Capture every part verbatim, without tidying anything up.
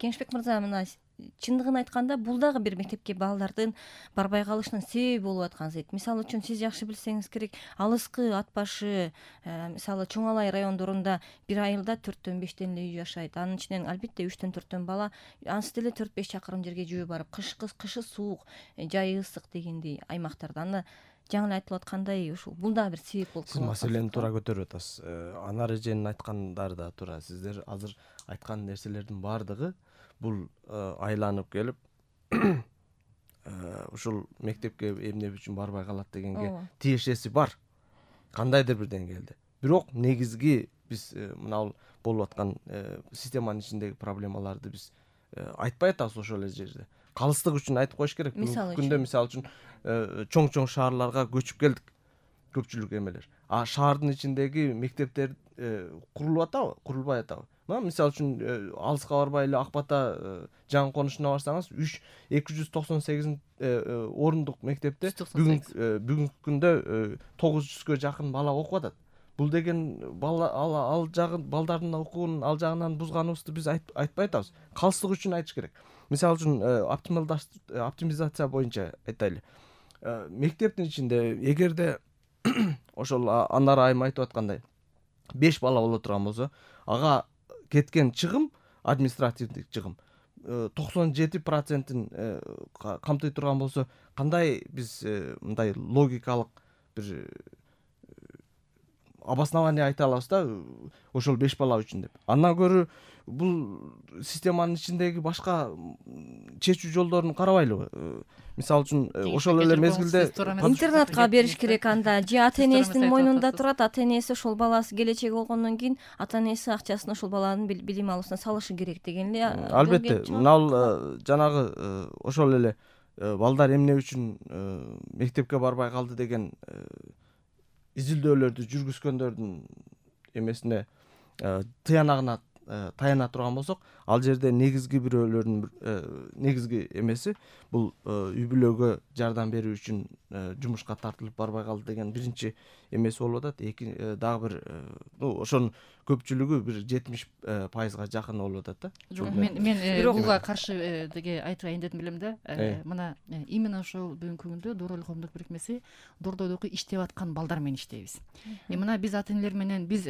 Кеңешбек мырза, мына чындыгын айтканда бул дагы бир мектепке балдардын барбай калышынын себеби болуп аткан зет. Мисалы үчүн сиз жакшы билсеңиз керек, алыскы ат башы, мисалы Чоң Алай райондорунда бир айылда төрттөн бештен эле үй жашайт. Анын ичинен албетте үчтөн төрттөн бала ансы деле төрт беш чакырым жерге жүрүп барып, кыш кышы суук, жайы ысык дегендей аймактарда. Аны жаңы эле айтылып аткандай, ушул бул дагы бир себеп болуп калат. Сиз маселени туура көтөрүп атасыз. Анар эженин айткандары да туура. Сиздер азыр айткан нерселердин баардыгы бул айланып келип ушул мектепке эмнеп үчүн барбай калат дегенге тиешеси бар. Кандайдыр бир деңгээлде. Бирок негизги биз мына болуп аткан системанын ичиндеги проблемаларды биз айтпай атабыз ошол эле жерде. Калыстык үчүн айтып коюш керек. Бүгүнкү күндө мисалы үчүн чоң-чоң шаарларга көчүп келдик көпчүлүк эмелер. А шаардын ичиндеги мектептер курулуп атабы, курулбай атабы? Мына мисалы үчүн алыска барбай эле Ак Бата жаңы конушуна барсаңыз, үч эки жүз токсон сегиз орундук мектепте бүгүнкү бүгүнкү күндө тогуз жүзгө жакын бала окуп атат. Бул деген бала ал жагы балдардын окуунун ал жагынан бузганыбызды биз айтпай атабыз. Калыстык үчүн айтыш керек. Мисалы үчүн оптимизация боюнча айтайлы. Мектептин ичинде эгерде ошол Анар айым айтып аткандай беш бала боло турган болсо, ага кеткен чыгым, административдик чыгым токсон жети процентин камтый турган болсо, кандай биз мындай логикалык бир обоснование айта алабыз да ошол беш бала үчүн деп. Андан көрө бул системанын ичиндеги башка чечүү жолдорун карабайлыбы? Мисалы үчүн ошол эле мезгилде интернатка бериш керек анда, же ата энесинин мойнунда турат, ата энеси ошол баласы келечеги болгондон кийин ата энеси акчасын ошол баланын билим алуусуна салышы керек деген эле. Албетте, мына жанагы ошол эле балдар эмне үчүн мектепке барбай калды деген изилдөөлөрдү жүргүзгөндөрдүн эмесине тыянагына таяна турган болсок, ал жерде негизги бирөөлөрдүн негизги эмеси бул үй бүлөгө жардам берүү үчүн жумушка тартылып барбай калды деген биринчи эмеси болуп атат. Эки дагы бир ошонун көпчүлүгү бир жетимиш пайызга жакын болуп атат да. Жок, мен мен буга каршы деге айтайын дедим билем да. Мына именно ошол бүгүнкү күндө Доор эл коомдук бирикмеси Дордойдогу иштеп аткан балдар менен иштейбиз. Мына биз ата энелер менен, биз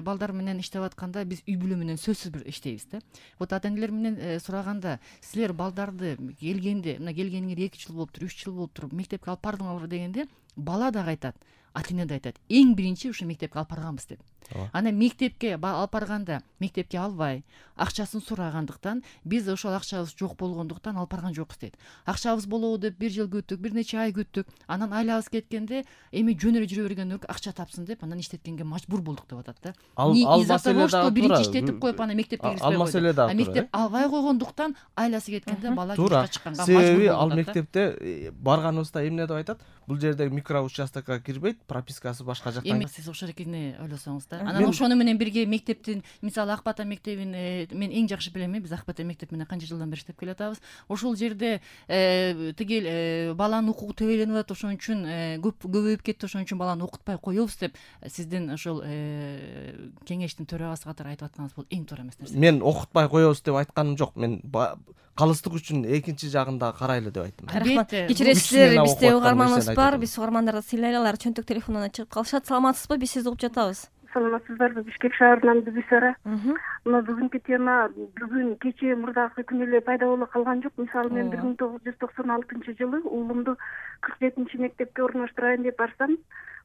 балдар менен иштеп атканда биз үй бүлө менен сөзсүз бир иштейбиз да. Вот ата энелер менен сураганда, силер балдарды келгенде, мына келгениңер эки жыл болуптур, үч жыл болуптур, мектепке алып бардыңарбы дегенде, бала дагы айтат, ата эне да айтат, эң биринчи ушу мектепке алып барганбыз деп. Ана мектепке алып барганда мектепке албай, акчасын сурагандыктан биз ошол акчабыз жок болгондуктан алып барган жокпуз дейт. Акчабыз болобу деп бир жыл күттүк, бир нече ай күттүк. Анан айлабыз кеткенде эми жөн эле жүрө бергенден көрө акча тапсын деп анан иштеткенге мажбур болдук деп атат да. Ал маселе дагы биринчи иштетип коюп анан мектепке киргизбей койду. А мектеп албай койгондуктан айласы кеткенде бала жумушка чыкканга мажбур болуп атат. Себеби ал мектепте барганыбызда эмне деп айтат? Бул жерде микроучастокко кирбейт, пропискасы башка жактан. Эми сиз ошол экени ойлосоңуз да. Анан ошону менен бирге мектептин, мисалы Ак Бата мектебин мен эң жакшы билем, биз Ак Бата мектеп менен канча жылдан бери иштеп келатабыз. Ошол жерде тигил баланын укугу төбөлөнүп атат, ошон үчүн көп көбөйүп кетти, ошон үчүн баланы окутпай коебуз деп сиздин ошол кеңештин төрагасы катары айтып атканыңыз бул эң туура эмес нерсе. Мен окутпай коебуз деп айтканым жок. Мен калыстык үчүн экинчи жагында карайлы деп айттым. Рахмат. Кечиресиздер, бизде угарманыбыз бар, биз угармандарды сыйлайлы, алар чөнтөк телефонуна чыгып калышат. Саламатсызбы? Биз сизди угуп жатабыз. Саламатсыздарбы? Бишкек шаарынан Бүбүсара. Мына бүгүнкү тема бүгүн кечээ мурдагы күнү эле пайда боло калган жок. Мисалы мен бир миң тогуз жүз токсон алтынчы жылы уулумду кырк жетинчи мектепке орноштурайын деп барсам,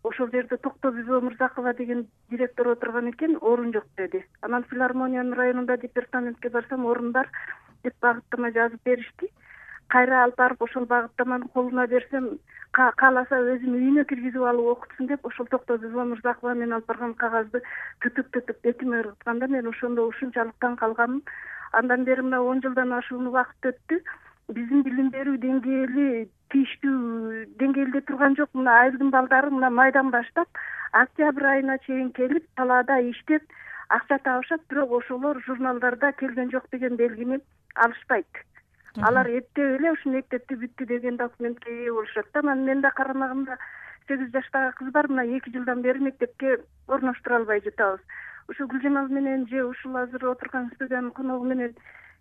ошол жерде Токто Бүбө Мырзакова деген директор отурган экен, орун жок деди. Анан филармониянын районунда департаментке барсам, орун бар деп багыттама жазып беришти. Кайра алып барып ошол багыттаманы колуна берсем, кааласа өзүнүн үйүнө киргизип алып окутсун деп ошол Токто Бүбө Мырзакова мен алып барган кагазды түтүк-түтүк бетиме ыргытканда мен ошондо ушунчалык таң калганмын. Андан бери мына он жылдан ашуун убакыт өттү. Биздин билим берүү деңгээли тийиштүү деңгээлде турган жок. Мына айылдын балдары мына майдан баштап октябрь айына чейин келип, талаада иштеп, акча табышат, бирок ошолор журналдарда келген жок деген белгини алышпайт. Алар эптеп эле ушу мектепти бүттү деген документке ээ болушат да. Мен да карамагымда сегиз жаштагы кыз бар, мына эки жылдан бери мектепке орноштура албай жатабыз. Ушу Гүлжамал менен же ушул азыр отурган студиянын коногу менен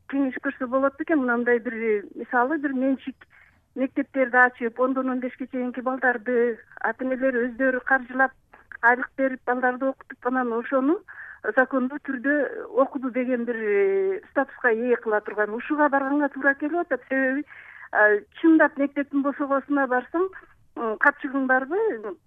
кеңеш көрсө болот бекен, мындай бир мисалы бир менчик мектептерди ачып, ондон он бешке чейинки балдарды ата энелер өздөрү каржылап, айлык берип балдарды окутуп, анан ошону закондуу түрдө окуду деген бир статуска ээ кыла турган, ушуга барганга туура келип атат. Себеби чындап мектептин босогосуна барсаң, капчыгың барбы,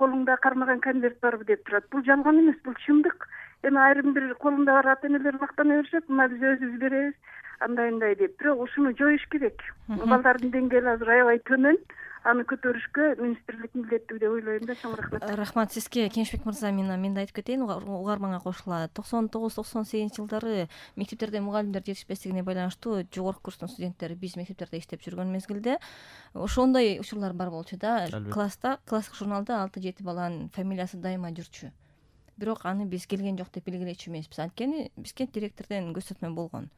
колуңда кармаган конверт барбы деп турат. Бул жалган эмес, бул чындык. Эми айрым бир колунда бар ата энелер мактана беришет, мына биз өзүбүз беребиз, андай андай деп. Бирок ушуну жоюш керек. Балдардын деңгээли азыр аябай төмөн. Аны көтөрүшкө министрлик милдеттүү деп ойлойм да. Чоң рахмат. Рахмат сизге, Кенжбек мырза. Мен мен да айтып кетейин, угарманга кошула. токсон тогуз токсон сегизинчи жылдары мектептерде мугалимдер жетишпестигине байланыштуу жогорку курстун студенттери биз мектептерде иштеп жүргөн мезгилде ошондой учурлар бар болчу да. Класста, класстык журналда алты жети баланын фамилиясы дайыма жүрчү. Бирок аны биз келген жок деп белгилечү эмеспиз. Анткени бизге директордон көзөтмө болгон.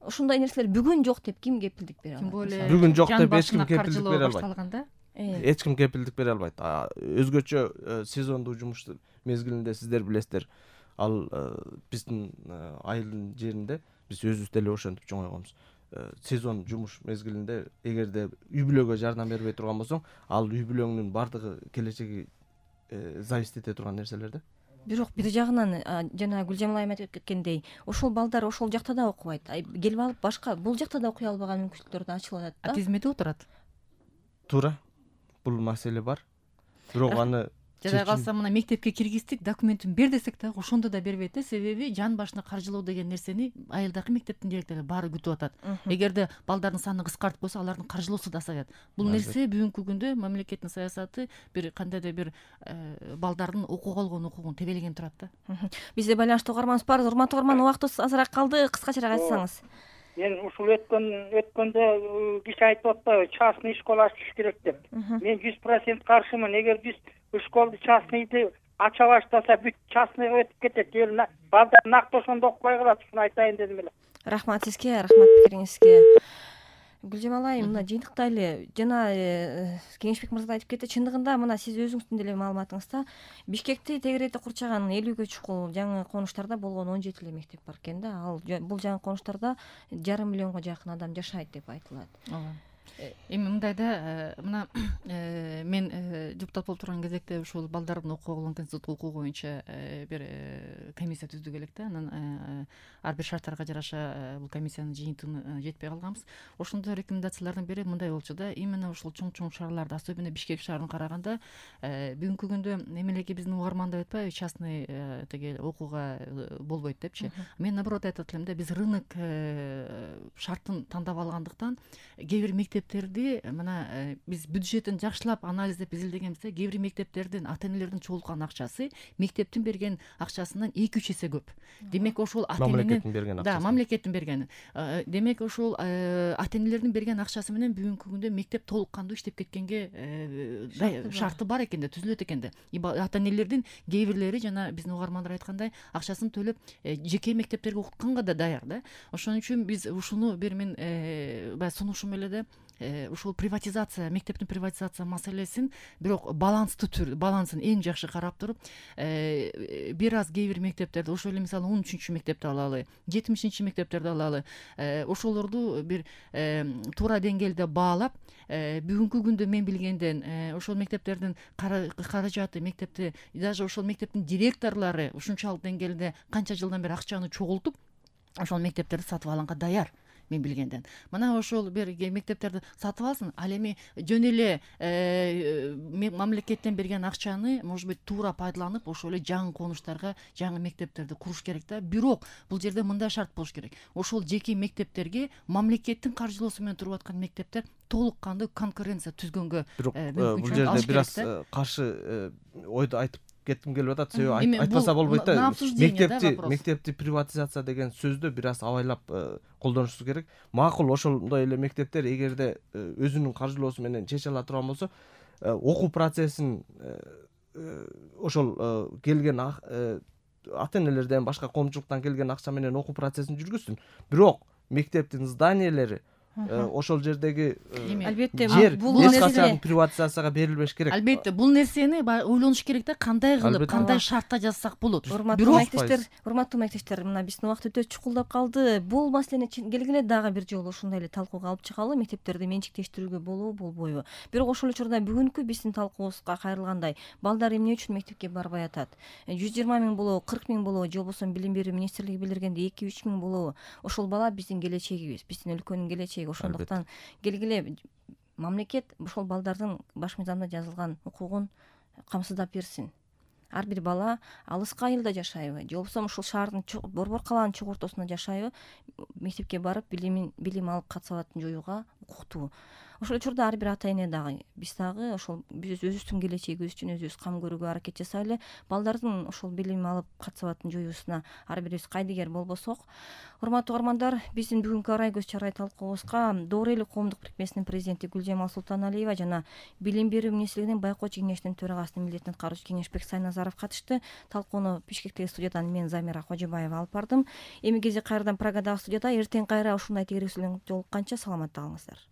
Ушундай нерселер бүгүн жок деп ким кепилдик бере алат? Бүгүн жок деп эч ким кепилдик бере албайт. Эч ким кепилдик бере албайт. Өзгөчө сезондуу жумуш мезгилинде сиздер билесиздер, ал биздин айылдын жеринде биз өзүбүз деле ошентип чоңойгонбуз. Сезон жумуш мезгилинде эгерде үй бүлөгө жардам бербей турган болсоң, ал үй бүлөңдүн бардыгы келечеги зависит эте турган нерселер да. Бирок бир жагынан жана Гүлжамал айым айтып кеткендей, ошол балдар ошол жакта да окубайт. Келип алып башка бул жакта да окуй албаган мүмкүнчүлүктөр да ачылып атат да. Тизмеде отурат. Туура. Бул маселе бар. Бирок аны жада калса мына мектепке киргиздик, документин бер десек да ошондо да бербейт да. Себеби жан башына каржылоо деген нерсени айылдагы мектептин директору баары күтүп атат. Эгерде балдардын саны кыскартып койсо, алардын каржылоосу да азаят. Бул нерсе бүгүнкү күндө мамлекеттин саясаты бир кандайдыр бир балдардын окууга болгон укугун тебелеген турат да. Бизде байланыштуу угарманыбыз бар. Урматтуу угарман, убактыбыз азыраак калды. Кыскачараак айтсаңыз. Мен ушул өткөн өткөндө киши айтып атпайбы, частный школа ачыш керек деп. Мен жүз процент каршымын. Эгер биз школду частныйды ача баштаса, бүт частныйга өтүп кетет. Эл балдар накты ошондо окубай калат. Ушуну айтайын дедим эле. Рахмат сизге, рахмат пикириңизге. Гүлжамал айым, мына жыйынтыктайлы. Жана Кеңешбек мырза да айтып кетти. Чындыгында мына сиз өзүңүздүн деле маалыматыңызда Бишкекти тегеретип курчаган элүүгө чукул жаңы конуштарда болгон он жети эле мектеп бар экен да. Ал бул жаңы конуштарда жарым миллионго жакын адам жашайт деп айтылат. Ооба. Эми мындай да, мына мен депутат болуп турган кезекте ушул балдардын окууга болгон конституциялык укугу боюнча бир комиссия түздүк элек да. Анан ар бир шарттарга жараша бул комиссиянын жыйынтыгына жетпей калганбыз. Ошондо рекомендациялардын бири мындай болчу да. Именно ушул чоң-чоң шаарларда, особенно Бишкек шаарын караганда, бүгүнкү күндө эмелеки биздин угарман деп атпайбы, частный теге окууга болбойт депчи. Мен наоборот айтат элем да, биз рынок шартын тандап алгандыктан кээ бир мектептерди мына биз бюджетин жакшылап анализдеп изилдегенбизде, кээ бир мектептердин ата энелердин чогулткан акчасы мектептин берген акчасынан эки үч эсе көп. Демек ошол ата эненин да, мамлекеттин берген. Демек ошол ата энелердин берген акчасы менен бүгүнкү күндө мектеп толук кандуу иштеп кеткенге шарты бар экен да, түзүлөт экен да. Ата энелердин кээ бирлери жана биздин угармандар айткандай акчасын төлөп жеке мектептерге окутканга да даяр да. Ошон үчүн биз ушуну бир мен баягы сунушум эле да, ушул приватизация, мектептин приватизация маселесин бирок баланстуу түр, балансын эң жакшы карап туруп, бир аз кээ бир мектептерди, ошол эле мисалы он үчүнчү мектепти алалы, жетимишинчи мектептерди алалы, ошолорду бир туура деңгээлде баалап, бүгүнкү күндө мен билгенден ошол мектептердин каражаты, мектепти, даже ошол мектептин директорлору ушунчалык деңгээлде канча жылдан бери акчаны чогултуп, ошол мектептерди сатып алганга даяр. Мен билгенден. Мына ошол бир мектептерди сатып алсын, ал эми жөн эле мамлекеттен берген акчаны, может быть, туура пайдаланып, ошол эле жаңы конуштарга, жаңы мектептерди куруш керек да. Бирок бул жерде мындай шарт болуш керек. Ошол жеке мектептерге мамлекеттин каржылоосу менен туруп аткан мектептер толук кандуу конкуренция түзгөнгө мүмкүнчүлүк. Бул жерде бир аз каршы ойду айтып кеттим келип атат. Себеби айтпаса болбойт да. Мектепти мектепти приватизация деген сөздү бир аз абайлап колдонушубуз керек. Макул, ошондой эле мектептер эгерде өзүнүн каржылоосу менен чече ала турган болсо, окуу процессин ошол келген ата энелерден, башка коомчулуктан келген акча менен окуу процессин жүргүзсүн. Бирок мектептин зданиелери ошол жердеги албетте жер бул эч нерсе качан приватизацияга берилбеш керек. Албетте бул нерсени баягы ойлонуш керек да, кандай кылып, Албетте. кандай шартта жазсак болот. урматтуу Бирок мектептер, урматтуу мектептер, мына биздин убакыт өтө чукулдап калды. Бул маселени келгиле дагы бир жолу ушундай эле талкууга алып чыгалы, мектептерди менчиктештирүүгө болобу, болбойбу. Бирок ошол учурда бүгүнкү биздин талкуубузга кайрылгандай, балдар эмне үчүн мектепке барбай атат? жүз жыйырма миң болобу, кырк миң болобу, же болбосо билим берүү министрлиги билдиргендей эки үч миң болобу? Ошол бала биздин келечегибиз, биздин өлкөнүн келечеги. Ошондуктан келгиле мамлекет ошол балдардын баш мыйзамда жазылган укугун камсыздап берсин. Ар бир бала алыска айылда жашайбы, же болбосо ушул шаардын борбор калаанын чок ортосунда жашайбы, мектепке барып билимин билим алып катсабатын жоюуга укуктуу. Ошол учурда ар бир ата эне дагы, биз дагы ошол биз өзүбүздүн келечегибиз үчүн өзүбүз кам көрүүгө аракет жасайлы. Балдардын ошол билим алып катсабатын жоюусуна ар бирибиз кайдыгер болбосок. Урматтуу угармандар, биздин бүгүнкү арай көз чарай талкуубузга Доор эл коомдук бирикмесинин президенти Гүлжамал Султаналиева жана Билим берүү министрлигинин Байкоочу кеңешинин төрагасынын милдетин аткаруучу кеңешбек Сайназаров катышты. Талкууну Бишкектеги студиядан мен Замира Кожобаева алып бардым. Эми кези кайрадан Праgadагы студияда эртең кайра ушундай тегересүү менен жолукканча саламатта калыңыздар.